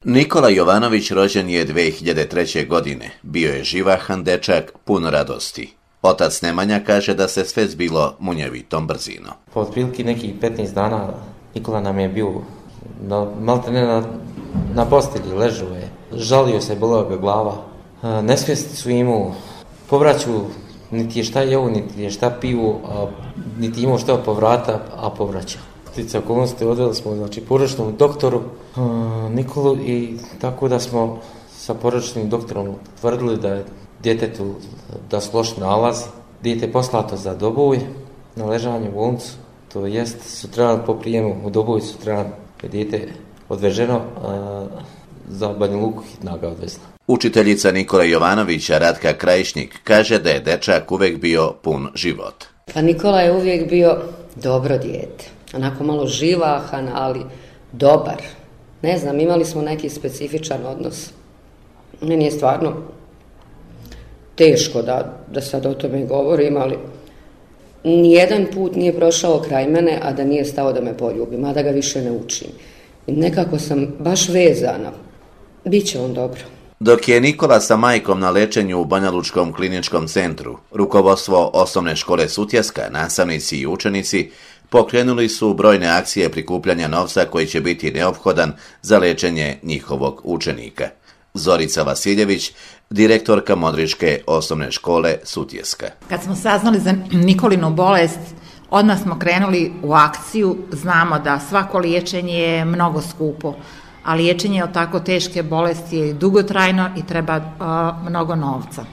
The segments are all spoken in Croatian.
Nikola Jovanović rođen je 2003. godine. Bio je živahan dečak, pun radosti. Otac Nemanja kaže da se sve zbilo munjevitom brzinom. Po otprilike nekih 15 dana Nikola nam je bio maltene na postelji, ležao je. Žalio se, bolela ga glava. Nesvijesti su imao. Povraću, niti je šta jeo, niti je šta piju, niti imao šta povrata, a povraćao. Stice okolnosti odveli smo porodičnom doktoru Nikolu i tako da smo sa porodičnim doktorom tvrdili da je djetetu da su loš nalazi. Dijete je poslato za Doboj na ležanje u bolnicu, to jest sutradan po prijemu u Doboj sutradan je dijete odveženo, za Banja Luku hitna ga odvezla. Učiteljica Nikole Jovanovića Ratka Krajišnik kaže da je dečak uvijek bio pun života. Pa Nikola je uvijek bio dobro dijete. Onako malo živahan, ali dobar. Ne znam, imali smo neki specifičan odnos. Meni je stvarno teško da sad o tome govorim, ali nijedan put nije prošao kraj mene, a da nije stao da me poljubim, a da ga više ne učim. I nekako sam baš vezana. Biće on dobro. Dok je Nikola sa majkom na lečenju u Banjalučkom kliničkom centru, rukovodstvo osnovne škole Sutjeska, nastavnici i učenici pokrenuli su brojne akcije prikupljanja novca koji će biti neophodan za lečenje njihovog učenika. Zorica Vasiljević, direktorka Modričke osnovne škole Sutjeska. Kad smo saznali za Nikolinu bolest, odmah smo krenuli u akciju. Znamo da svako liječenje je mnogo skupo, a liječenje od tako teške bolesti je dugotrajno i treba mnogo novca.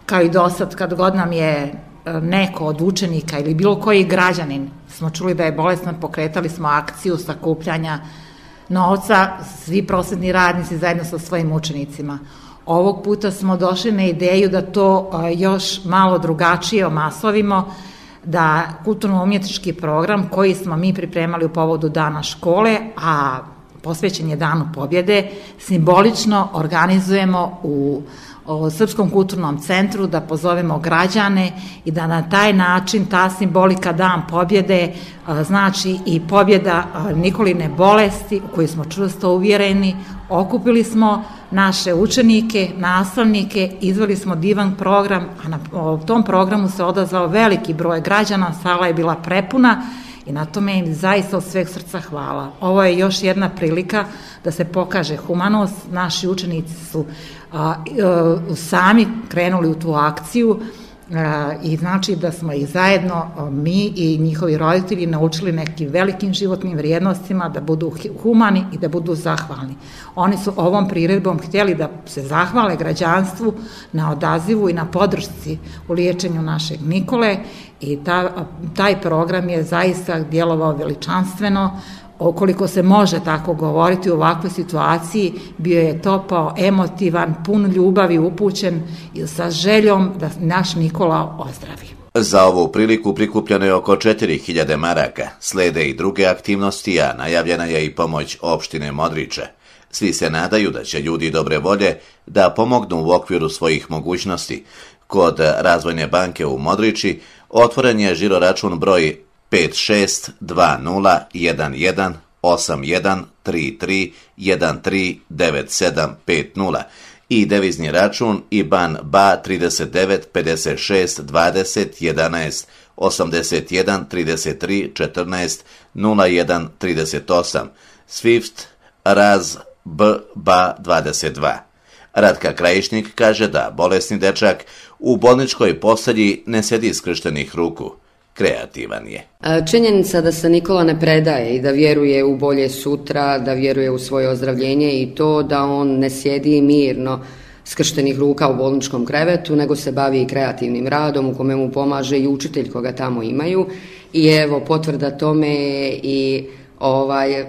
Kao i dosad, kad god nam je neko od učenika ili bilo koji građanin smo čuli da je bolestan, pokretali smo akciju sakupljanja novca, svi prosvetni radnici zajedno sa svojim učenicima. Ovog puta smo došli na ideju da to još malo drugačije omasovimo, da kulturno-umjetnički program koji smo mi pripremali u povodu Dana škole, a posvećen je Danu pobjede, simbolično organizujemo u Srpskom kulturnom centru, da pozovemo građane i da na taj način ta simbolika Dan pobjede znači i pobjeda Nikoline bolesti u koju smo čvrsto uvjereni. Okupili smo naše učenike, nastavnike, izveli smo divan program, a na tom programu se odazvao veliki broj građana, sala je bila prepuna i na tome im zaista od sveg srca hvala. Ovo je još jedna prilika da se pokaže humanost. Naši učenici su sami krenuli u tu akciju i znači da smo ih zajedno mi i njihovi roditelji naučili nekim velikim životnim vrijednostima, da budu humani i da budu zahvalni. Oni su ovom priredbom htjeli da se zahvale građanstvu na odazivu i na podršci u liječenju našeg Nikole i taj program je zaista djelovao veličanstveno. Okoliko se može tako govoriti u ovakvoj situaciji, bio je topao, emotivan, pun ljubavi, upućen i sa željom da naš Nikola ozdravi. Za ovu priliku prikupljeno je oko 4000 maraka. Slede i druge aktivnosti, a najavljena je i pomoć opštine Modriče. Svi se nadaju da će ljudi dobre volje da pomognu u okviru svojih mogućnosti. Kod Razvojne banke u Modriči otvoren je žiro račun broj 5620813133139750 i devizni račun IBAN BA 39 56 20 11 81 33 14 01 38 SWIFT RAZ BA 22. Ratka Krajišnik kaže da bolesni dečak u bolničkoj postelji ne sjedi skrštenih ruku. Kreativan je. Činjenica da se Nikola ne predaje i da vjeruje u bolje sutra, da vjeruje u svoje ozdravljenje i to da on ne sjedi mirno skrštenih ruka u bolničkom krevetu, nego se bavi kreativnim radom u kome mu pomaže i učitelj koga tamo imaju. I evo, potvrda tome je i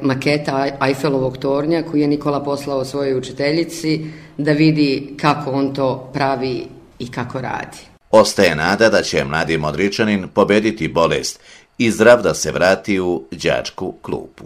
maketa Eiffelovog tornja koju je Nikola poslao svojoj učiteljici da vidi kako on to pravi i kako radi. Ostaje nada da će mladi Modričanin pobediti bolest i zdrav da se vrati u đačku klupu.